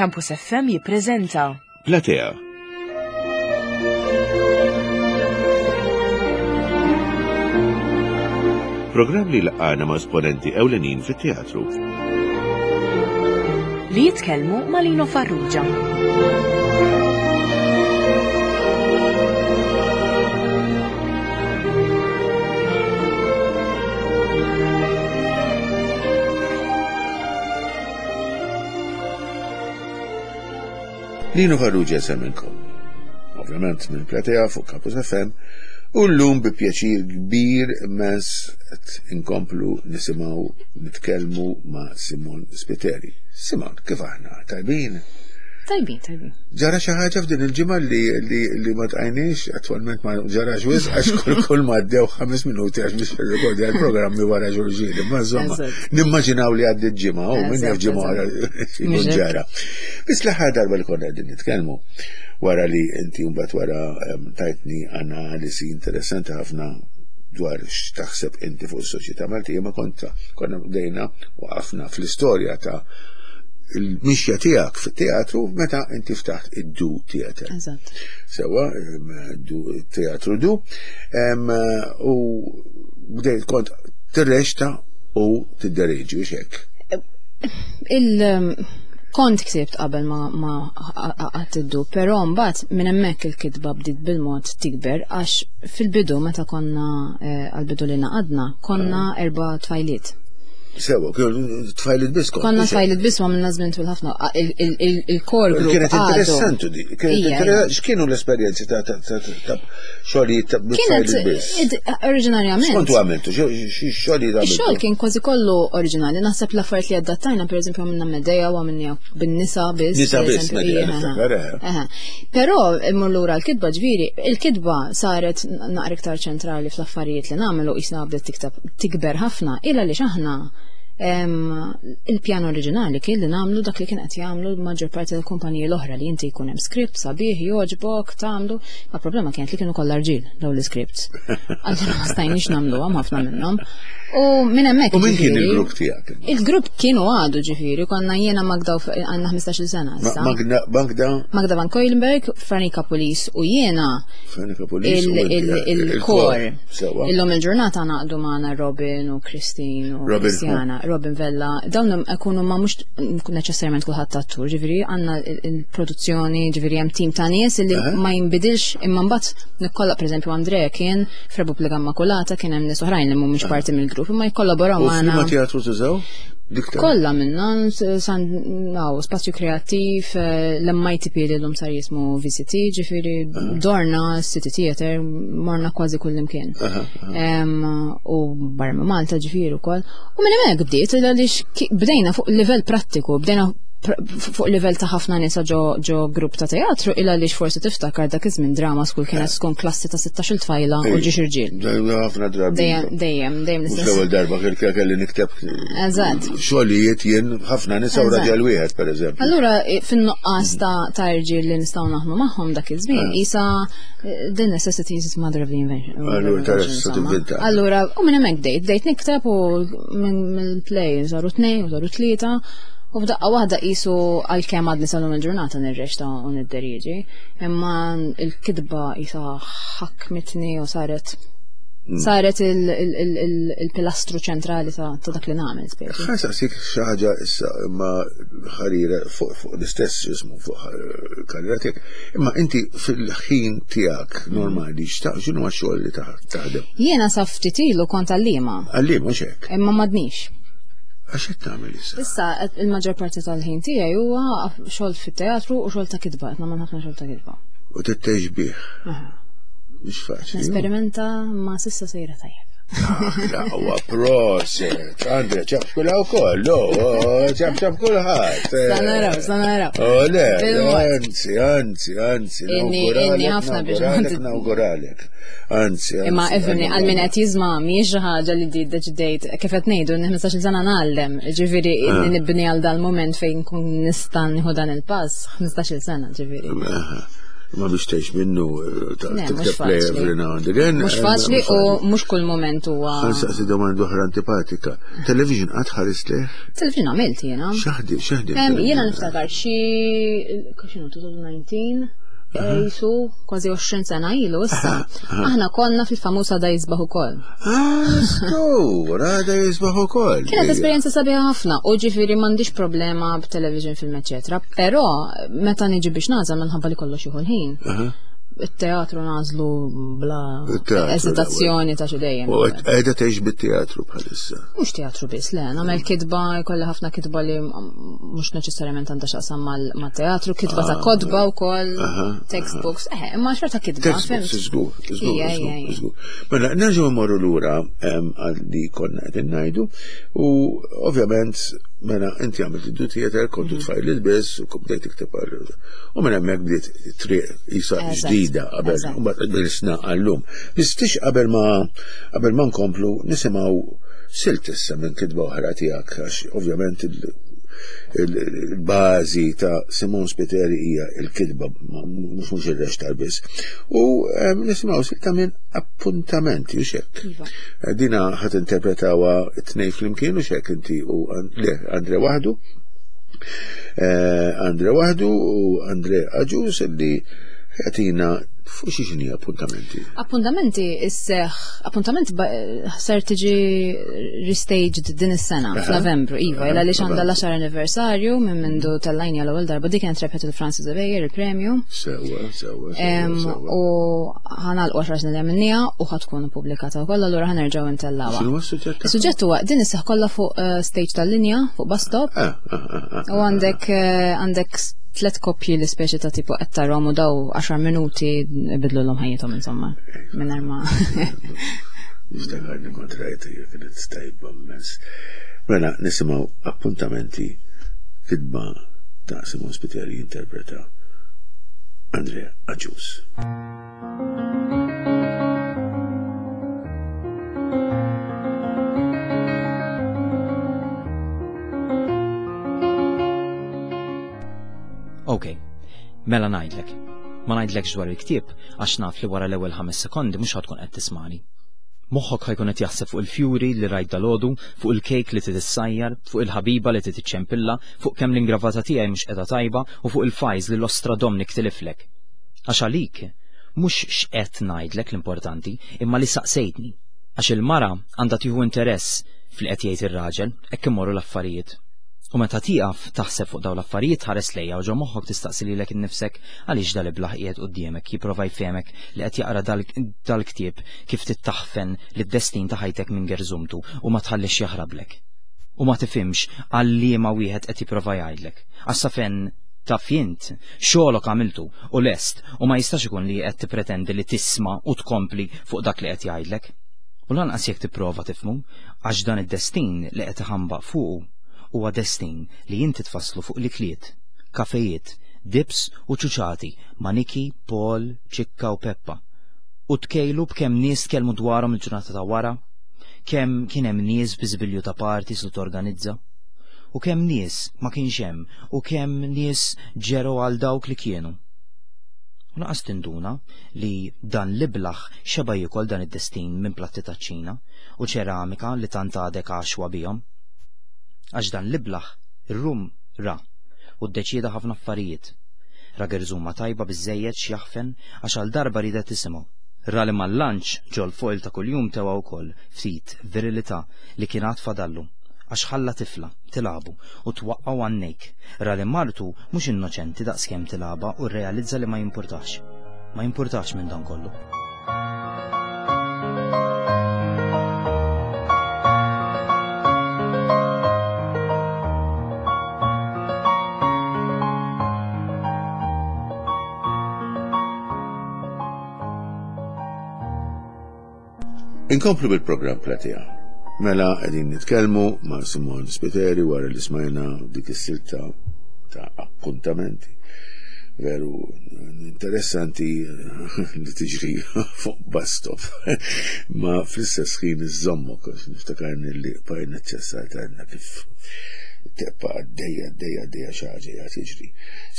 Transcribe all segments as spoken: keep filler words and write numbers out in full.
Campus F M jippreżenta Platea. Programm li laqana ma' esponenti ewlenin fit-teatru. Li jitkellmu ma' Lino Farrugia. Lino Farrugia semminkom. Ovvjament minn Platea fuq Campus F M u llum bi pjaċir kbir immens qed inkomplu nisimgħu nitkellmu ma' Simone Spiteri. Simone, kif aħna? Tajbin? Tajbin, tajbin. Ġara xi ħaġa f'din il-ġimgħa li, li, li ma tqajniex, attwalment ma ġarax wisq għax kull kull ma għaddew ħames minuti għax biex nirrekordja l-programmi wara xulxin. Imma insomma, Eżatt. nimmaġinaw li għaddiet ġimgħa, u min jaf Eżatt, ġimgħa wara eżatt. jkun ġara. Biss l-aħħar darba li konna qegħdin nitkellmu wara li inti mbagħad wara, em, tajtni analisi interessanti ħafna dwar x'taħseb inti fuq is-soċjetà Maltija, ma konta konna bdejna waqafna fl-istorja ta' il-mixja tiegħek fit-teatru meta inti ftaħt id-Du Theatre. Eżatt. Sewa, em, Du Teatru Du, em, u bdejt kont tirreċta u tiddereġi u xek. Il, em, kont ksibt qabel ma, ma għadt id-Du, però mbagħad minn hemmhekk il-kitba bdiet bil-mod tikber għax fil-bidu meta konna, eh, għal-bidu li naqadna, konna Ah. erba' tfajliet. Sewa, kienu tfajliet biss kont, Konna mhux hekk? tfajliet biss u għamilna żmien twil ħafna. A, il-, il-, il-, il-core group Kienet għadu. interessanti di. Kienet Ija, interessanti. X'kienu l-esperjenzi ta' ta' ta' ta' xogħlijiet ta' Kienet tfajliet biss? id-, oriġinarjament. X'kontu għamiltu? Xi-, xi xogħlijiet għamiltu? Ix-xogħol kien kważi kollu oriġinali. Naħseb l-affarijiet li adattajna, pereżempju, għamilna Medea u għamilna bin-nisa biss, Nisa per biss, eżempju. Medea, Ija, niftakar, eh. Aha. Però immur lura l-kitba, ġifieri, il-kitba saret naqra iktar ċentrali fl-affarijiet li nagħmlu, qisna bdiet tiktab tikber ħafna, illa li aħna em, il-pjan oriġinali kien li nagħmlu dak li kien qed jagħmlu l-maġġor parti tal-kumpaniji l-oħra, li inti jkun hemm script sabiħ jogħġbok tagħmlu, ma problema kienet li kienu kollha rġiel dawn l-iscripts. Allura ma stajniex nagħmluhom ħafna minnhom. U minn hemmhekk U min kien ġifieri, il-grupp tiegħek? Il-grupp kienu għadu ġifieri, konna jiena Magda u F-, għandna ħmistax-il sena Ma- issa. Magda, Magda? Magda Van Keulenberg, Franika Pulis u jiena Franika Pulis u il-, inti, il-, eh, il-kor. il-kor. Sewa. Illum il-ġurnata naqdu magħna Robin u Christine u Robin, Christiana, Robin Vella, dawn ikunu ma mhux neċessarjament kulħadd attur, ġifieri għandna il-, il-produzzjoni, ġifieri hemm tim ta' nies illi Aha. ma jinbidilx, imma mbagħad nikkolla, pereżempju Andrea kien f'Repubblika Immakulata, kien hemm nies oħrajn li mhumiex Aha. parti mill-grupp, imma jikkollaboraw U magħna. f'liema teatru tużaw? Dik ta' Kollha minna, s-, san, naw, spazju kreattiv, eh, l-M I T P li l-lum sar jismu V C T, ġifieri Aha. dorna City Theatre, morna kważi kull imkien. Aha, aha. Em, u barra minn Malta ġifieri wkoll. U minn hemmhekk bdiet, għaliex ki-, bdejna fuq livell prattiku, bdejna pr-, fuq livell ta' ħafna nisa ġo, ġo grupp ta' teatru, illa għaliex forsi tiftakar dak iż-żmien drama school kienet tkun klassi ta' sittax-il tfajla u Ej, ġiex irġiel. Dejjem ħafna drabi. Dejjem, dejjem, dejjem Mhux l-istess. l-ewwel darba kien kien kelli nikteb Eżatt. xogħlijiet jien ħafna nisa u Eżatt. raġel wieħed pereżempju. Allura i-, fin-nuqqas ta', ta' irġiel li nistgħu naħdmu magħhom dak iż-żmien, Ah. isa, eh, the necessity is mother of the invention. Allura tara Invention, se insomma. tinventa. Allura, u minn hemmhekk bdejt, bdejt nikteb u minn mill-play saru tnejn u saru tlieta. U f'daqqa waħda qisu għalkemm għadni sal-lum il-ġurnata nirreċta u nidderieġi, imma l-kitba qisha ħakmitni u saret Mm. saret il-, il-, il-, il-, il-pilastru ċentrali ta', ta' dak li nagħmel speċi. Ħa saqsik xi ħaġa issa imma ħarira fuq, fuq l-istess ismu fuq ħar-, karriera tiegħek, imma inti fil-ħin tiegħek normali x'ta-, x'inhu x-xogħol li taħ-, taħdem? Jiena sa ftit ilu kont għalliema. Għalliema mhux hekk? Imma m'għadnix. Għax qed tagħmel issa? Issa il-maġġor parti tal-ħin tiegħi huwa xogħol fit-teatru u xogħol ta' kitba, qed nagħmel ħafna xogħol ta' kitba. U titgħix bih. Aha. Mhux faċli. Nesperimenta ma s'issa sejra tajjeb. Ah, huwa proset. Andre, ċab kull wkoll, oh, ċab ċab kulħadd. Sa naraw, sa naraw. Oh, le, Bil-mod. anzi, anzi, anzi, Inni, nawguralek, inni ħafna biex nawguralek, ma nawguralek. Anzi, anzi, Imma ifhimni, għal min nawguralek. qed jiżma' mhijiex xi ħaġa li di deċidejt, kif qed ngħidu, inni ħmistax-il sena ngħallem, ġifieri Ah. inni nibni għal dal-moment fejn nkun nista' nieħu dan il-pass, ħmistax-il sena, ġifieri. Aha. Ma biex tgħix minnu eh, tikteb play every now and again. Mhux eh, faċli u mhux kull moment huwa. Ħansaqsi domanda oħra antipatika. Television qatt ħares leh? Television għamilt jiena. X'aħdi, x'aħdi. Jiena niftakar xi x'inhu elfejn u dsatax jisu kważi għoxrin sena ilu issa. Aħna konna fil-famuż Għada Jisbaħ Ukoll. Ah, skur, Għada Jisbaħ Ukoll. Kienet esperjenza sabiħa ħafna u ġifieri m'għandix problema b'television film eċetera, però meta niġi biex nagħżel minħabba li kollox jieħu l-ħin. It-teatru nagħżlu bla eżitazzjoni ta' xi dejjem. U qiegħda tgħix bit-teatru bħalissa. Mhux teatru biss, le, nagħmel kitba, jkolli ħafna kitba li mhux neċessarjament għandha x'taqsam mal-teatru, kitba ta' kotba wkoll, textbooks, eh, imma xorta kitba. Textbooks, żgur, żgur, żgur. Mela, nerġgħu mmorru lura għal li konna qed ngħidu u ovvjament mela inti għamilt id theater, kontu tfajliet biss u bdejt tikteb għal u minn hemmhekk bdiet triq isa ġdida qabel u mbagħad bil-sna għallum. Bistix qabel ma qabel ma nkomplu nisimgħu silt issa minn kitba oħra tiegħek għax ovvjament il-bażi ta' Simone Spiteri hija il-kitba mhux mhux ir-reċtar biss. U nisimgħu silta minn Appuntamenti u xek. Iva. Dina ħat interpretawha t-tnejn flimkien u xek inti u le Andre waħdu. Andre waħdu u Andre Agius illi jagħtina fuq xi x'inhi Appuntamenti. Appuntamenti isseħ, Appuntamenti ser tiġi restaged din is-sena f'Novembru, iva, illa li għandha l-għaxar anniversarju minn mindu tellajna l-ewwel darba dik kienet rebħet il-Francis Xavier il-premju. Sewwa, sewwa, sewwa. U ħa nagħlqu għaxar snin li għamilniha u ħa tkun ippubblikata wkoll, allura ħa nerġgħu ntellgħuha. X'inhu s-suġġett? Is-suġġett huwa din isseħ kollha fuq stage tal-linja, fuq bus stop. U għandek għandek tlet koppji li speċi ta' tipo qed tarahom u daw għaxar minuti ibidlu l-hom ħajjithom insomma. Mingħajr ma. Niftakarni kont rajt kienet tajba immens. Mela nisimgħu Appuntamenti, kitba ta' Simone Spiteri interpreta Andrea Agius. Ok, mela ngħidlek. Ma ngħidlekx dwar il-ktieb għax naf li wara l-ewwel ħames sekondi mhux ħa tkun qed tismani. Moħħok ħa jkun qed jaħseb fuq il-fjuri li rajt dalgħodu, fuq il-kejk li titissajjar, fuq il-ħabiba li titiċċempilla, fuq kemm l-ingravata tiegħi mhux qiegħda tajba u fuq il-fajz li l-ostra Domnik tiliflek. Għax għalik mhux x'qed ngħidlek l-importanti, imma li saqsejtni. Għax il-mara għandha tieħu interess fil qed jgħid ir-raġel, hekk imorru l-affarijiet. U meta tieqaf taħseb fuq dawn l-affarijiet ħares lejja u ġo moħħok tistaqsi lilek innifsek għaliex dal-iblaħ qiegħed quddiemek jipprova jfehmek li qed jaqra dal-ktieb kif tittaħfen lid-destin ta' ħajtek minn gerżumtu u ma tħallix jaħrablek. U ma tifhimx għal liema wieħed qed jipprova jgħidlek. Għax sa fejn taf int, xogħolok għamiltu u lest u ma jistax ikun li qed tippretendi li tisma' u tkompli fuq dak li qed jgħidlek. U lanqas jekk tipprova tifhmu, għax dan id-destin li qed iħambaq fuqu huwa destin li inti tfasslu fuq l-ikliet, kafejiet, dips u ċuċati ma' Niki, Paul, Ċikka u Peppa. U tkejlu b'kemm nies tkellmu dwarhom il-ġurnata ta' wara, kemm kien hemm nies bi żbilju ta' parties li torganizza, u kemm nies ma kienx hemm, u kemm nies ġeru għal dawk li kienu. U naqas tinduna li dan l-iblaħ xeba jiekol dan id-destin minn platti taċ-Ċina u ċeramika li tant għadek għaxwa bihom. Għax dan l-iblaħ ir-rum ra u ddeċieda ħafna affarijiet. Ra gerżuma tajba biżżejjed x'jaħfen għax għal darba ridet tisimgħu. Ra li mal-lanċ ġol foil ta' kuljum tewa wkoll ftit virilità li kien għad fadallu għax ħalla tifla tilagħbu u twaqqgħu għannejk. Ra li martu mhux innoċenti daqskemm tilagħba u rrealizza li ma jimpurtax. Ma jimpurtax minn dan kollu. Inkomplu bil-programm Platea. Mela qegħdin nitkellmu ma' Simone Spiteri wara li smajna dik is-silta ta' Appuntamenti. Veru interessanti li tiġri fuq bus stop. Ma fl-istess ħin iżommok, għax niftakarni li bqajna ċessajt għadna kif Tibqa' għaddejja, għaddejja, għaddejja xi ħaġa qiegħed jiġri.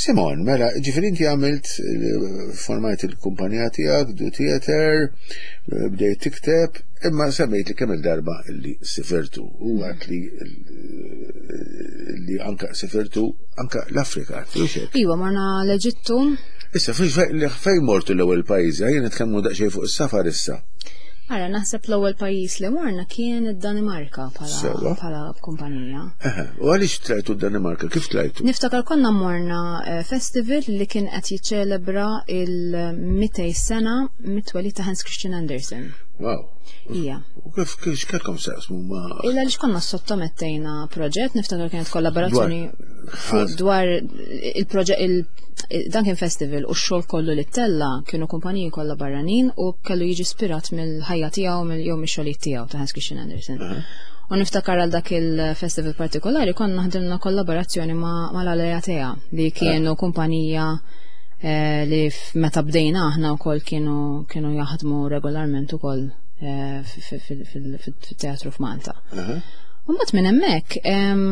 Simon, mela, ġifieri inti għamilt eh, formajt il-kumpanija tiegħek, Du Theater, eh, bdejt tikteb, imma semmejt li kemm il-darba li sifirtu u għat li li anka sifirtu anka l-Afrika, mhux hekk? Iwa, morna l-Eġittu. Issa, fej fej mortu l-ewwel pajjiż, ejja nitkellmu daqsxejn fuq is-safar issa. Ara, naħseb l-ewwel pajjiż li morna kien id-Danimarka bħala Sewa. bħala kumpanija. Eħe, u għaliex tlajtu d-Danimarka? Kif tlajtu? Niftakar konna morna eh, festival li kien qed jiċċelebra il-mitejn sena mit-twelid ta' Hans Christian Andersen. Wow. Ija. U kif kif x'kellkom x'taqsmu ma' Illa li konna sottomettejna proġett, niftakar kienet kollaborazzjoni Dwar- fuq dwar il-proġett il dan kien festival u x-xogħol kollu li tella kienu kumpaniji kollha barranin u kellu jiġi ispirat mill-ħajja tiegħu mill jew mix-xogħlijiet tiegħu ta' Hans Christian Andersen. U niftakar għal dak il-festival partikolari konna ħdimna kollaborazzjoni ma' mal-Aleatea li kienu kumpanija eh, li f- meta bdejna aħna wkoll kienu kienu jaħdmu regolarment ukoll eh, fi- fi- fil- fil- fil-teatru f'Malta. Mbagħad minn hemmhekk em,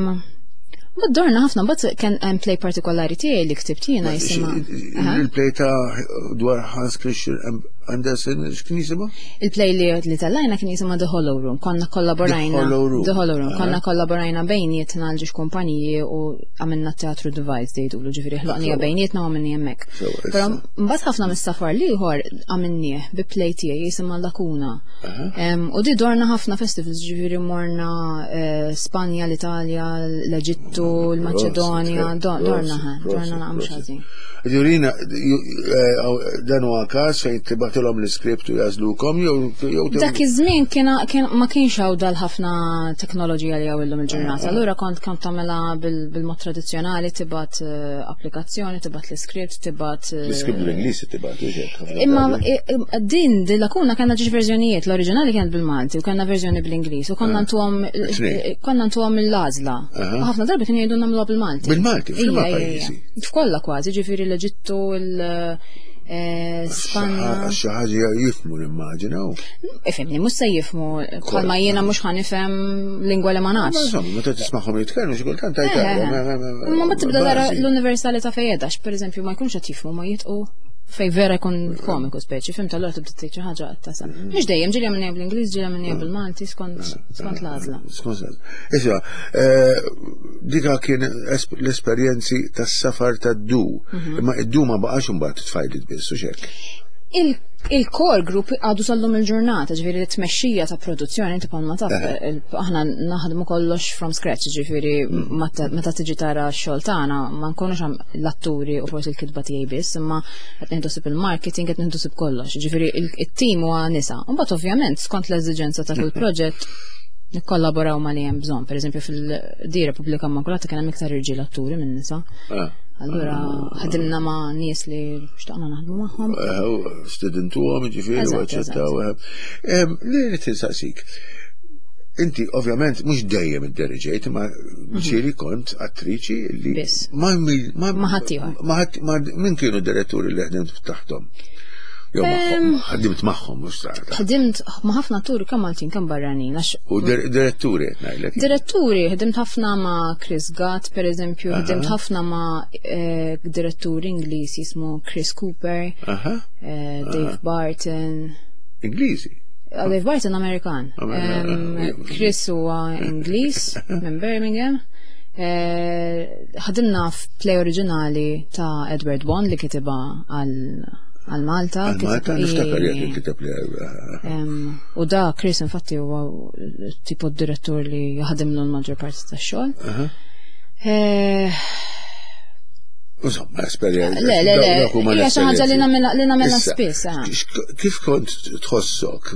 mbagħad dorna ħafna, mbagħad kien hemm play partikolari tiegħi li ktibt jiena jisimha. Aha. Il-play ta' dwar Hans Christian Andersen, x'kien jisimha? Il-play li li tellajna kien jisimha The Hollow Room. Konna kollaborajna. The Hollow Room. The Hollow Room. Aha. Konna kollaborajna bejnietna l ġiex kumpaniji u għamilna teatru device jgħidulu, ġifieri ħloqnija Sewa. bejnietna u għamilni hemmhekk. Sewa, Però issa. mbagħad ħafna mis-safar l-ieħor għamilnieh bi play tiegħi jisimha Lakuna. Em, U di dorna ħafna festivals, ġifieri morna eh, Spanja, l-Italja, l-Eġittu, l-Maċedonja, do- dorna ħa, dorna naqam xażin. Jurina, dan huwa każ fejn tibgħatilhom l-iskript u jagħżlukom jew jew Dak iż-żmien kien kien ma kienx hawn dal ħafna teknoloġija li hawn illum il-ġurnata. Allura kont kont tagħmilha bil- bil-mod tradizzjonali, tibgħat eh, applikazzjoni, tibgħat l-iskript, tibgħat eh, L-iskript bl-Ingliż tibgħatu xek. ħafna Imma drabi. i- i- din di Lakuna kellna ġiex verżjonijiet, l-oriġinali kienet bil-Malti u kellna verżjoni bl-Ingliż u konna ntuhom Tnejn. konna ntuhom l-għażla. Aha. U ħafna drabi kienu jgħidu nagħmluha bil-Malti. Bil-Malti, f'liema Ija, ija, pajjiżi? ija. F'kollha kważi, ġifieri l-Eġittu, il-Spanja. Xi ħaġa jifhmu nimmaġinaw. Ifhimni, mhux se jifhmu, bħalma jiena mhux ħa nifhem lingwa li ma Ma nafx. insomma, meta tismagħhom jitkellmu xi kultant Eh, tajt. Ma ma tibda tara l-universalità fejn qiegħda, per eżempju ma jkunx qed jifhmu ma jitqu fej vera jkun komiku speċi, fhimt allura tibda tgħid xi ħaġa qed tasal. Mhux dejjem ġieli għamilniha bl-Ingliż, ġieli għamilniha bil-Malti skont skont l-għażla. Skont Issa, eh, dika kien es- l-esperjenzi tas-safar tad-Du. Mhm. Imma id-Du ma baqax imbagħad tfajlit biss u xek. Il- Il-core group għadu sal-lum il-ġurnata, ġifieri t-tmexxija ta' produzzjoni, inti bħalma taf, il- aħna naħdmu kollox from scratch, ġifieri meta meta tiġi tara x-xogħol tagħna ma nkunux għam l-atturi u forsi l-kitba tiegħi biss, imma qed nieħdu ħsieb il-marketing, qed nieħdu ħsieb kollox, ġifieri il- it-team huwa nisa. U mbagħad ovvjament skont l-eżiġenza ta' kull proġett nikkollaboraw ma li hemm bżonn. Per eżempju fil-di Repubblika Immakulata kien hemm iktar irġiel atturi minn nisa. Ah. Allura ħadimna ma' nies li xtaqna naħdmu magħhom. Stidintuhom, ġifieri, u Eżatt, aċċettaw. Li rrid insaqsik. Inti ovvjament mhux dejjem idderiġejt, imma ġieli kont attriċi li Biss. ma mi- ma Ma ħaddieħor. Ma ħadd ma min kienu diretturi li ħdimt taħtom? Jew magħhom, ħdimt magħhom mhux taħt. Ħdimt ma' ħafna atturi kemm Maltin kemm barranin għax U dir- diretturi qed ngħidlek. Diretturi, ħdimt ħafna ma' Chris Gatt, per eżempju, ħdimt ħafna ma' eh, diretturi Ingliż jismu Chris Cooper, Aha, eh, Dave Barton. Ingliżi. Ah, Dave Barton Amerikan. Amerikan, Em, eh, Chris huwa Ingliż minn Birmingham. Eh, Ħadimna f'play oriġinali ta' Edward Bond li kitibha għal għal Malta. Għal Malta kitib- niftakar i- jekk kiteb li Em, U da Chris infatti huwa tipo d-direttur li jaħdimlu l-maġġor parti tax-xogħol. Eh, Insomma, esperjenza. Le, le, le, Dawk huma hija xi ħaġa li l-esperjenzi. nagħmilha li nagħmilha Issa, spiss. eh. x- Kif kont tħossok,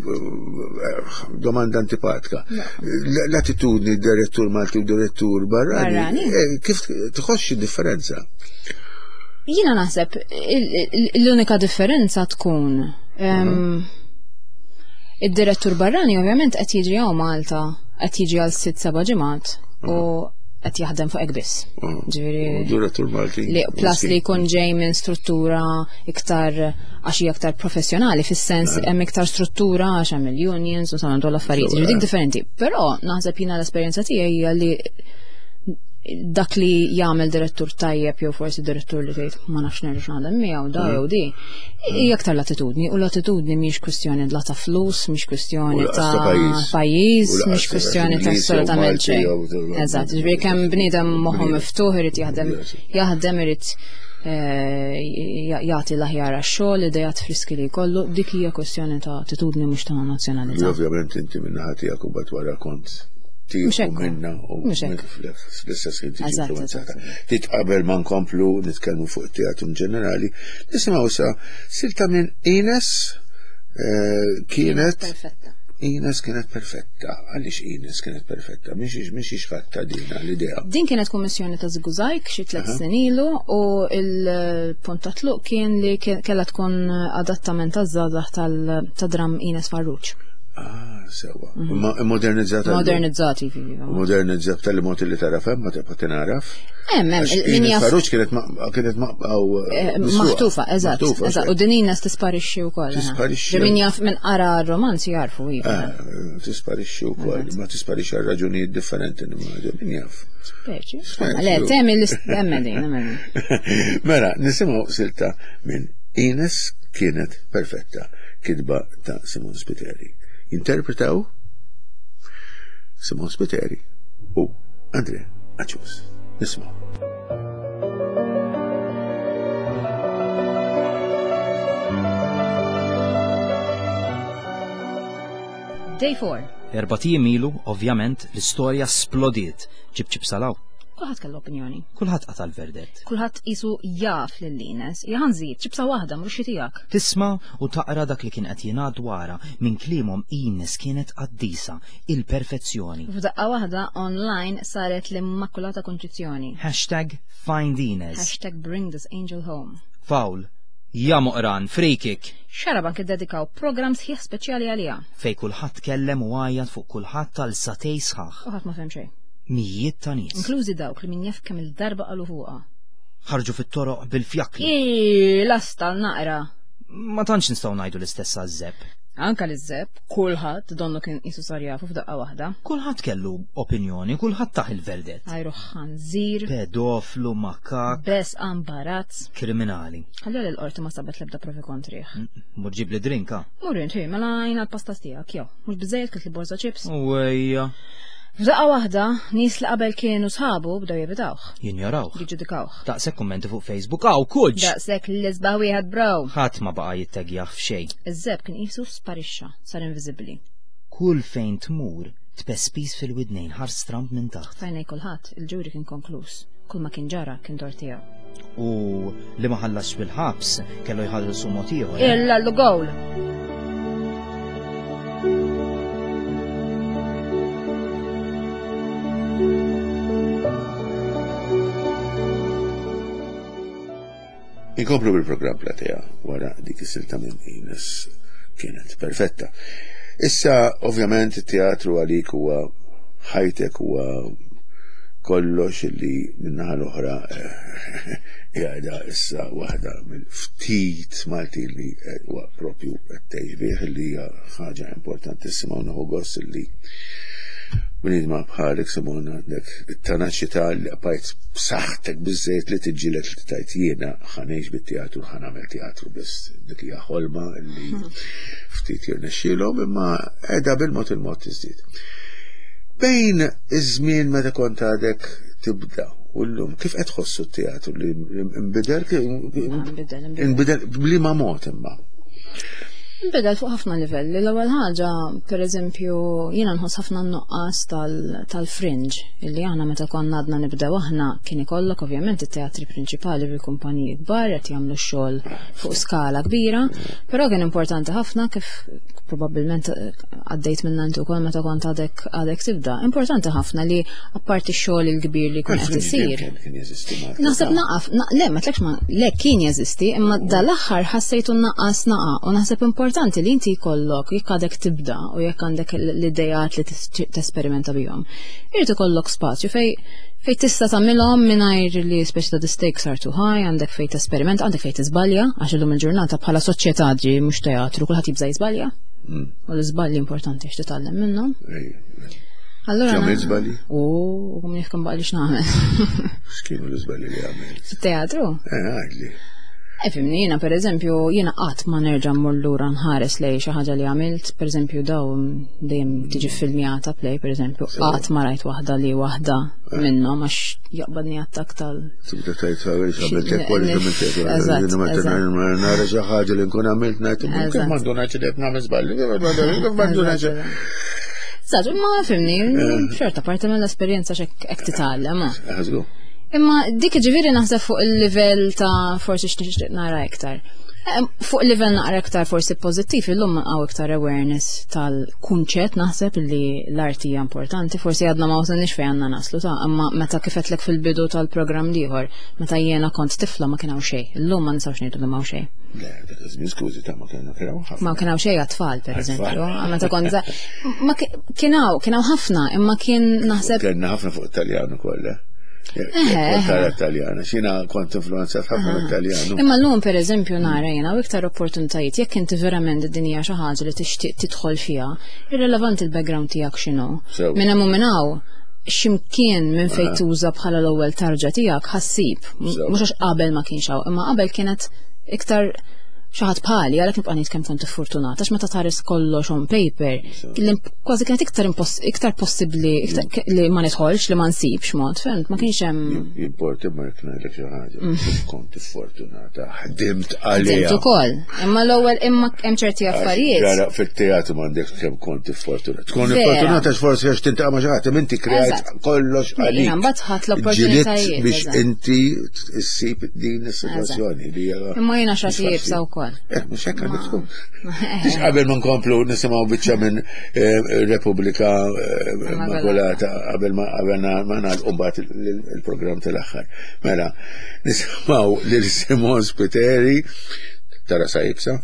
domanda antipatika, l- l-attitudni direttur Malti u direttur barrani, Barrani. eh, kif tħoss xi differenza? Jiena naħseb il- il- l-unika differenza tkun em, id-direttur barrani ovvjament qed jiġi hawn Malta, qed jiġi għal sitt seba' ġimgħat u qed jaħdem fuq hekk biss. Ġifieri U Direttur Malti. li plus li jkun ġej minn struttura iktar għax hija iktar professjonali fis-sens hemm iktar struttura għax hemm il-unions u sanan l affarijiet, ġifieri dik differenti. Però naħseb jiena l-esperjenza tiegħi hija li Dak li jagħmel direttur tajjeb jew forsi direttur li tgħid ma nafx nerġa' naħdem miegħu da jew di, hija aktar l-attitudni, u l-attitudni mhix kwistjoni la ta' flus, mhix kwistjoni U lanqas ta' ta' pajjiż. pajjiż, U lanqas mhix ta' kwistjoni ta' Ingliż jew assolutament Malti xejn. jew- Eżatt, ġifieri kemm bniedem moħħu Bniedem. miftuħ irid jaħdem Yes. jaħdem irid eh, jagħti l-aħjar għax-xogħol, idejat friski li jkollu, dik hija kwestjoni ta' attitudni mhux ta' Li nazzjonalità. ovvjament inti minna ħatijak u bat wara kont Mhux tieħu hekk. minna u Mhux hekk. fl-istess ħin tiġi Eżatt, influenzata. eżatt. Tit qabel ma nkomplu nitkellmu fuq it-teatru in ġenerali, nisimgħu sa silta minn Ines eh, kienet Perfetta. Ines kienet perfetta. Għaliex Ines kienet perfetta? Mhix mhix ħadd dina l-idea. Din kienet kummissjoni ta' Żigużajg xi tliet snin ilu u il-punt ta' tluq kien li kien- kellha tkun adattament taż-żgħażagħ tal- ta' dram Ines Farrugia. Ah, sewa. Ma modernizzata. Modernizzati iva. Modernizzata tal mod li tara fem, ma tibqa' tinaraf. Hemm hemm Għax min Ines jaf Farrugia kienet ma- kienet ma' eh, maħtufa, eżatt, eżatt. U din Ines tisparixxi wkoll. eh. Tisparixxi. Ġi Min jaf min qara r-romanz jarfu iva. Ah, tisparixxi wkoll, ma tisparixxi għal raġunijiet differenti nimmaġina, min jaf. Speċi. Speċi. Le, temi l-istemma din, hemm din. Mela, nisimgħu silta minn Ines kienet perfetta, kitba ta' Simon Spiteri. Interpretaw Simon Spiteri u Andre Acius. Nisimgħu. Day four. Erbat ijiem ilu, ovvjament, l-istorja splodiet. Ġib ċib salaw. Kulħadd kellu opinjoni. Kulħadd qata' l-verdett. Kulħadd qisu jaf lil Ines. Jaħanżid, ċibsa waħda mhux xi tiegħek. Tisma' u taqra dak li kien qed jingħad dwarha minn kliemhom Ines kienet qaddisa, il-perfezzjoni. F'daqqa waħda online saret l-Immakulata Konċizzjoni. Hashtag find Ines. Hashtag bring this angel home. Foul. Ja moqran, free kick. Xarabank iddedikaw program sħiħ speċjali għaliha. Fej kulħadd kellem u għajjat fuq kulħadd tal satej sħaħ. U ħadd ma fehem xejn. Mijiet ta' nies. Inklużi dawk li min jaf kemm il-darba qalu fuqha. Ħarġu fit-toroq bil-fjakli. Ii, lasta naqra. Ma tantx nistgħu ngħidu l-istess għaż-żeb. Anka li żeb, kulħadd donnu kien qisu sar jafu f'daqqa waħda. Kulħadd kellu opinjoni, kulħadd taħ il-verdett. Għajru ħanżir, Pedoflu, makak, bes ambarazz. kriminali. Ħalli l-qorti ma sabet l-ebda provi kontrih. Mur ġib li drinka. Mur inti, mela jina l-pasta tiegħek, jew, mhux biżejjed kilt li borza ċips. Uwejja. F'daqqa waħda, nies li qabel kienu sħabu bdew jevitawh, Jinjorawh. jiġġudikawh. Daqshekk kummenti fuq Facebook, aw kuġ! Daqshekk l-isbaħ wieħed bro. Ħadd ma baqa' jittegjaħ f'xejn. Iż-żeb kien qisu sparixxa, sar inviżibbli. Kull fejn tmur, tpespis fil-widnejn ħar stramp minn taħt. Fajnej kulħadd, il-ġuri kien konkluż. Kull ma kien ġara kien dor tiegħu. U li ma ħallasx bil-ħabs kellu jħallsu mod ieħor. eh? Illa l-gowl! Inkomplu bil-programm Platea wara dik is-silta minn Ines kienet perfetta. Issa, ovvjament, it-teatru għalik huwa ħajtek huwa kollox illi minnaħa l-oħra eh, qiegħda issa waħda mill-ftit Malti li eh, huwa propju qed tgħix bih li hija ħaġa importantissima u nieħu gost illi bniedma bħalek Simona għandek it-tenaċità li bqajt b'saħħtek biżżejjed li tiġġieled li tajt jiena ħanejx bit-teatru ħa nagħmel teatru biss. Dik hija ħolma li ftit jirnexxielhom imma qiegħda bil-mod il-mod tiżdied. Bejn iż-żmien meta kont għadek tibda u llum kif qed tħossu t-teatru li nbidel Nbidel, nbidel. nbidel b'liema mod imma. Nbidel fuq ħafna livelli. L-ewwel ħaġa, per eżempju, jiena nħoss ħafna n-nuqqas tal- tal-fringe, illi aħna meta konna għadna nibdew aħna kien ikollok ovvjament it-teatri prinċipali bil-kumpaniji kbar qed jagħmlu xogħol fuq skala kbira, però kien importanti ħafna kif probabbilment eh, għaddejt minna inti wkoll meta kont għadek għadek tibda. Importanti ħafna li apparti x-xogħol il-kbir li jkun qed Il-fringe isir. dejjem kien jeżisti Malta. Naħseb naqaf, na, le, ma tlekx ma, le kien jeżisti, imma dal-aħħar ħassejtu naqqas naqa, u naħseb importanti li inti jkollok, jekk għadek tibda u jekk għandek l-idejat li tis- tesperimenta bihom, irid ikollok spazju fej fej tista' tagħmilhom mingħajr li speċi ta' the stakes are too high, għandek fej tesperiment, għandek fej tiżbalja, għax illum il-ġurnata bħala soċjetà ġi mhux teatru, kulħadd jibża' jiżbalja. Mm. U l-iżbalji importanti għax titgħallem minnhom. Ej, Allura. Għamilt żbalji? U kum jekk baqa li x'nagħmel. X'kienu l-iżbalji li għamilt? Fit-teatru? Eh, għidli. Eh, fimni, jiena per eżempju, jiena qatt ma nerġa' mmur lura nħares lej xi ħaġa li għamilt, per eżempju daw dejjem tiġi filmjata play, per eżempju, qatt ma rajt waħda li waħda minnhom għax jaqbadni attak tal. Tibda tgħid għamil għamilt hekk wara għamilt hekk. Eżatt, eżatt. Nara xi ħaġa li nkun għamilt ngħid kif Eżatt. m'għandu ngħid li qed nagħmel żballi, kif m'għandu ngħid. Eżatt, imma fimni, xorta parti mill-esperjenza x'hekk hekk titgħallem. ah. Ħażgu. Imma dik ġifieri naħseb fuq il-livell ta' forsi x'nixtieq nara iktar. Eh, Fuq il-livell naqra iktar forsi pożittiv, illum hawn iktar awareness tal-kunċett naħseb li l-arti hija importanti, forsi għadna ma wasalniex fejn għandna naslu ta' imma meta kif għedtlek fil-bidu tal-programm l-ieħor, meta jiena kont tifla ma kien hawn xejn. Illum ma nistgħux ngħidu li m'hawn xejn. Le, dak iż-żmien skużi ta' ma kienu kien hawn ħafna. Ma kien hawn xejn għat-tfal pereżempju, meta kont żgħar. Ma ki- kien hawn, kien hawn ħafna, imma kien naħseb Kellna ħafna fuq Italjan ukoll, eh? Eħe, Tara Italjana, xina kont influenzat ħafna mit-Taljan. Imma l-lum per eżempju nara jena u iktar opportunitajiet jekk inti verament id-dinja xi ħaġa li tixtieq tidħol fiha, irrelevanti il-background tiegħek x'inhu. Sew. Minn hemm u minn hawn x'imkien minn fejn tuża bħala l-ewwel tarġa tiegħek ħassib. Sew. Mhux għax qabel ma kienx hawn, imma qabel kienet iktar xi ħadd bħali għalhekk nibqa' ngħid kemm kont fortunata għax meta tħares kollox on paper, li kważi kienet iktar impos- iktar possibbli iktar ke- li ma nidħolx, li ma nsibx mod, fhimt, ma kienx hemm Jimporti ma jekk ngħidlek xi ħaġa. Kont fortunata, ħdimt għalija. Ħdimt ukoll. Imma l-ewwel imma hemm ċerti affarijiet. Ġara, fit-teatru m'għandek kemm kont fortunata. Tkun Vera. fortunata għax forsi għax tintaqa' ma' xi ħadd, imma inti krejt Eżatt. kollox Jiena għalik. mbagħad ħadt l-opportunitajiet, Ġilidt biex eżatt. inti ssib din is-sitwazzjoni li hija. Imma jiena mhux xrati faċli. jibsa wkoll. Eh, mhux hekk għandek tkun. Biex qabel ma nkomplu nisimgħu biċċa minn eh, Repubblika eh, Immakulata qabel ma qabel ma nagħlqu mbagħad il- il-programm tal-aħħar. Mela, nisimgħu lil Simon Spiteri tara sajibsa.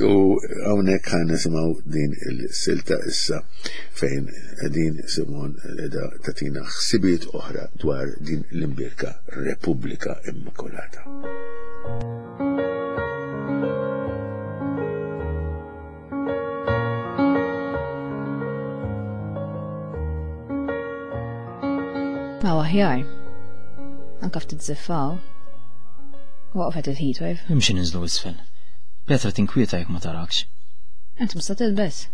U hawnhekk ħa nisimgħu din il-silta issa fejn din Simon qiegħda tagħtina ħsibiet oħra dwar din l-imbierka Repubblika Immakulata. Ma aħjar. Anka ftit żiffaw. Waqfet il-heatwave. Imxi ninżlu isfel. Petra tinkwieta jekk ma tarakx. Int mista tilbes.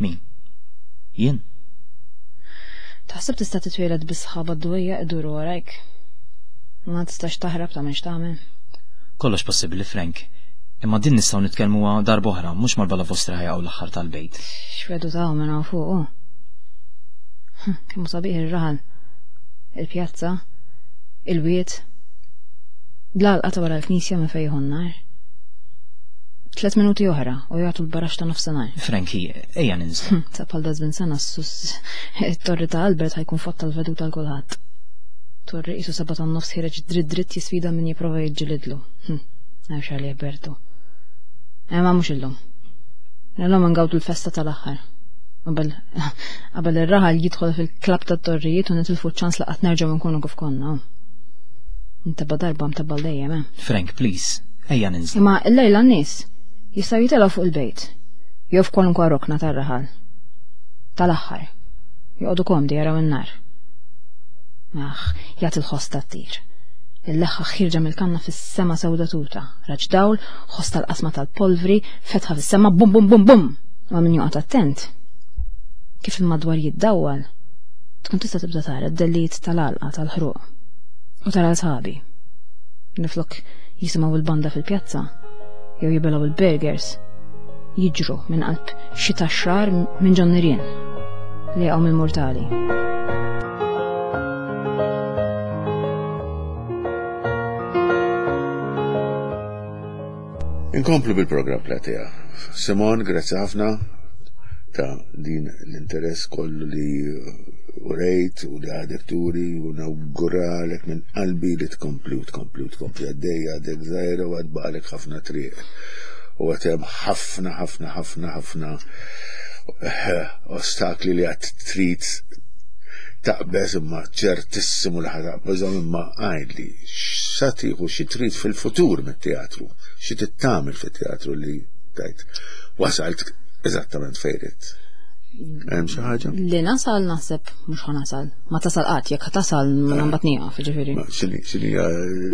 Min? Jien? Taħseb tista' titwieled bi sħaba d-dwejja iduru warajk. Ma tistax taħrab ta' x'tagħmel. Kollox possibbli, Frank. Imma din nistgħu nitkellmuha darb'oħra, mhux mal-bala vostra ħajqgħu l-aħħar tal-bejt. X'vedu ta' minn hawn fuq. hu. Hm, Kemm hu sabiħ ir-raħal. Il-pjazza, il-wied, l-għalqa ta' wara l-knisja minn fejn jieħu n-nar. Tlet minuti oħra u jagħtu l-barax ta' nofsinhar. Franki, ejja ninżlu. Hm, Ta' bħal dażmin sena s-sus it-torri ta' Albert ħajkun fatta l-veduta l kulħadd. Torri qisu seba' tan-nofs ħireġ dritt dritt jisfida min jipprova jiġġilidlu. Hm, Nafx għalih Bertu. Imma mhux illum. Illum ngawdu l-festa tal-aħħar. Qabel qabel ir-raħal jidħol fil-klabb tat-torrijiet u nitilfu ċ-ċans li qatt nerġgħu nkunu kif konna. Intebba darba mtebba dejjem, eh. Frank, please, ejja ninżlu. Imma l-lejla n-nies jistgħu jitilgħu fuq il-bejt. Jew f'kwalunkwe rokna tar-raħal. Tal-aħħar. Joqogħdu komdi jaraw in-nar. Aħ, jagħti l-ħoss tat-tir. Il-leħħa ħirġa mill-kanna fis-sema sewda tuta. Raġ dawl, ħoss tal-qasma tal-polvri, fetħa fis-sema bum bum bum bum. Ma min joqgħod attent. Kif il-madwar jiddawwal, tkun tista' tibda tara d-dellijiet tal-għalqa tal-ħruq. U tara sħabi. Niflok jisimgħu il-banda fil-pjazza, jew jibilgħu il-burgers, jiġru minn qalb xita xrar minn ġon nirien li jaqgħu mill-mortali. Inkomplu bil-programm Platea. Simon, grazzi ħafna ta' din l-interess kollu li urejt u li għadek turi u nawguralek minn qalbi li tkompli u tkompli u tkompli għaddejja għadek żgħira u għad baqalek ħafna triq. U għatem ħafna, ħafna, ħafna, ħafna eh, ostakli li għad trid taqbeż imma ċertissimu li ħa taqbeżhom imma għidli x'sa tieħu xi trid fil-futur mit-teatru, xi tittamel fit-teatru li tajt wasalt eżattament fejn ridt. Hemm xi ħaġa? Li nasal naħseb mhux ħa nasal. Ma tasal qatt, jekk tasal ma mbagħad nieqaf, ġifieri. X'inhi x'inhi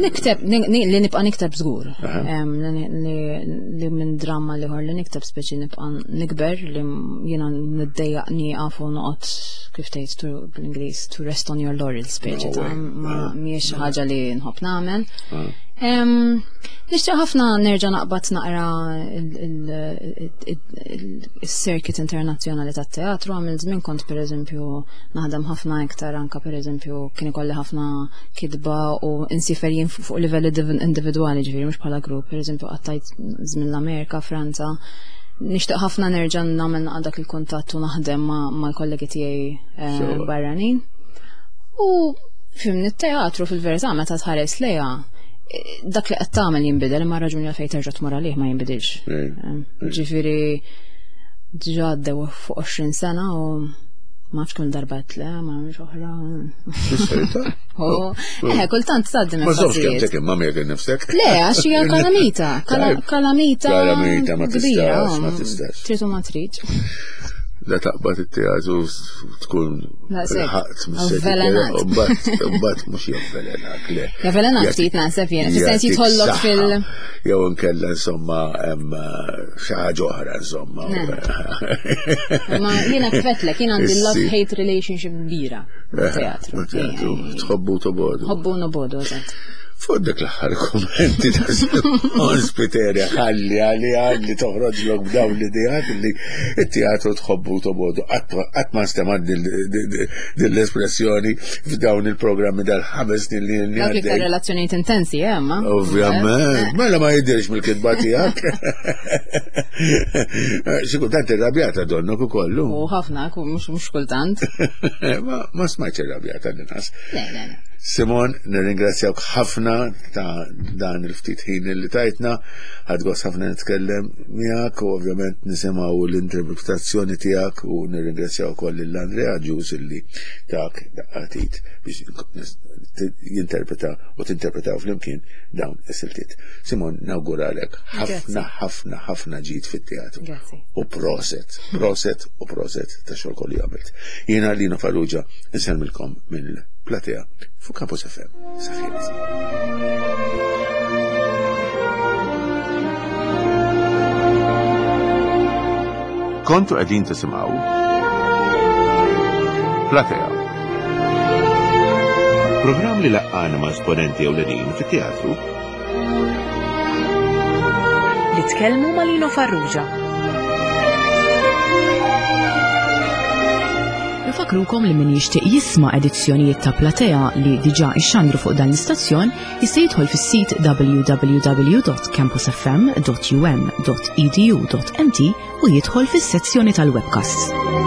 Nikteb, li nibqa' nikteb żgur. Li minn dramma l-ieħor li nikteb speċi nibqa' nikber li jiena niddejjaq nieqaf u noqgħod kif tgħid bl-Ingliż to rest on your laurels speċi ta' ma mhijiex xi ħaġa li nħobb nagħmel. Nixtieq ħafna nerġa' naqbad naqra il-circuit internazzjonali tat-teatru. Għamil żmien kont pereżempju naħdem ħafna iktar, anka pereżempju kien ikolli ħafna kitba u insifer jien fuq livell individwali, ġifieri mhux bħala grupp. Pereżempju qattajt żmien l-Amerika, Franza. Nixtieq ħafna nerġa' nagħmel dak il-kuntatt u naħdem mal-kollegi tiegħi barranin. U fimni, t-teatru fil-verità meta tħares lejha, dak li qed tagħmel jinbidel, imma raġuni għalfejn terġa' tmur għalih ma jinbidilx. Ġifieri diġà għaddew fuq għoxrin sena u ma nafx kemm darba le, ma nafx oħra. Eh, kultant tgħaddi Ma żommx kemm tek imma miegħek innifsek. Le, għax hija kalamita, kalamita. Kalamita ma tistax, ma tistax. Trid u ma tridx. Da taqbad it-teatru tkun ħaqt Avvelenat. Mbagħad mhux javvelenak, le. Javvelenak ftit naħseb jien, fis-sens jidħollok fil- Jew inkella insomma hemm xi ħaġa oħra insomma. Ma jiena kfetlek, jien għandi love-hate relationship kbira teatru. Teatru, tħobbu tobodu. Ħobbu nobodu, eżatt. Fuq dak l-aħħar kommenti ta' Simon Spiteri, ħalli għalli għalli toħroġ lok b'dawn l-idejat li it-teatru tħobbu tobodu. Qatt ma nstema' din l-espressjoni f'dawn il-programmi dal-ħames snin li Dawk l-iktar relazzjonijiet intensi, eh, ma? Ovvjament, mela ma jidirx mill-kitba tiegħek. Xi kultant irrabjata donnok ukollu. U ħafna, mhux kultant. Ma smajtx irrabjata l-inqas. Le, le, le. Simon, nirringrazzjawk ħafna ta' dan il-ftit ħin li tajtna, ħadt gost ħafna nitkellem miegħek u ovvjament nisimgħu l-interpretazzjoni tiegħek u nirringrazzjaw ukoll lil Andrea Ġus illi tak daqqatit biex jinterpreta u tinterpretaw flimkien dawn is-siltiet. Simon, nawguralek ħafna ħafna ħafna ġid fit-teatru. U proset, proset u proset ta' xogħol kollu għamilt. Jiena Lino Farrugia nsellmilkom mill-platea fuq Campus F M. Saħħiet. Kontu qegħdin tisimgħu Platea. Programm li laqqana ma' esponenti ewlenin fit-teatru. Li tkellmu ma' Lino Farrugia. Nfakrukom li min jixtieq jisma' edizzjonijiet ta' Platea li diġà ixxandru fuq dan l-istazzjon jista' jidħol fis-sit w w w dot campus f m dot u m dot e d u dot m t u jidħol fis-sezzjoni tal-webcasts.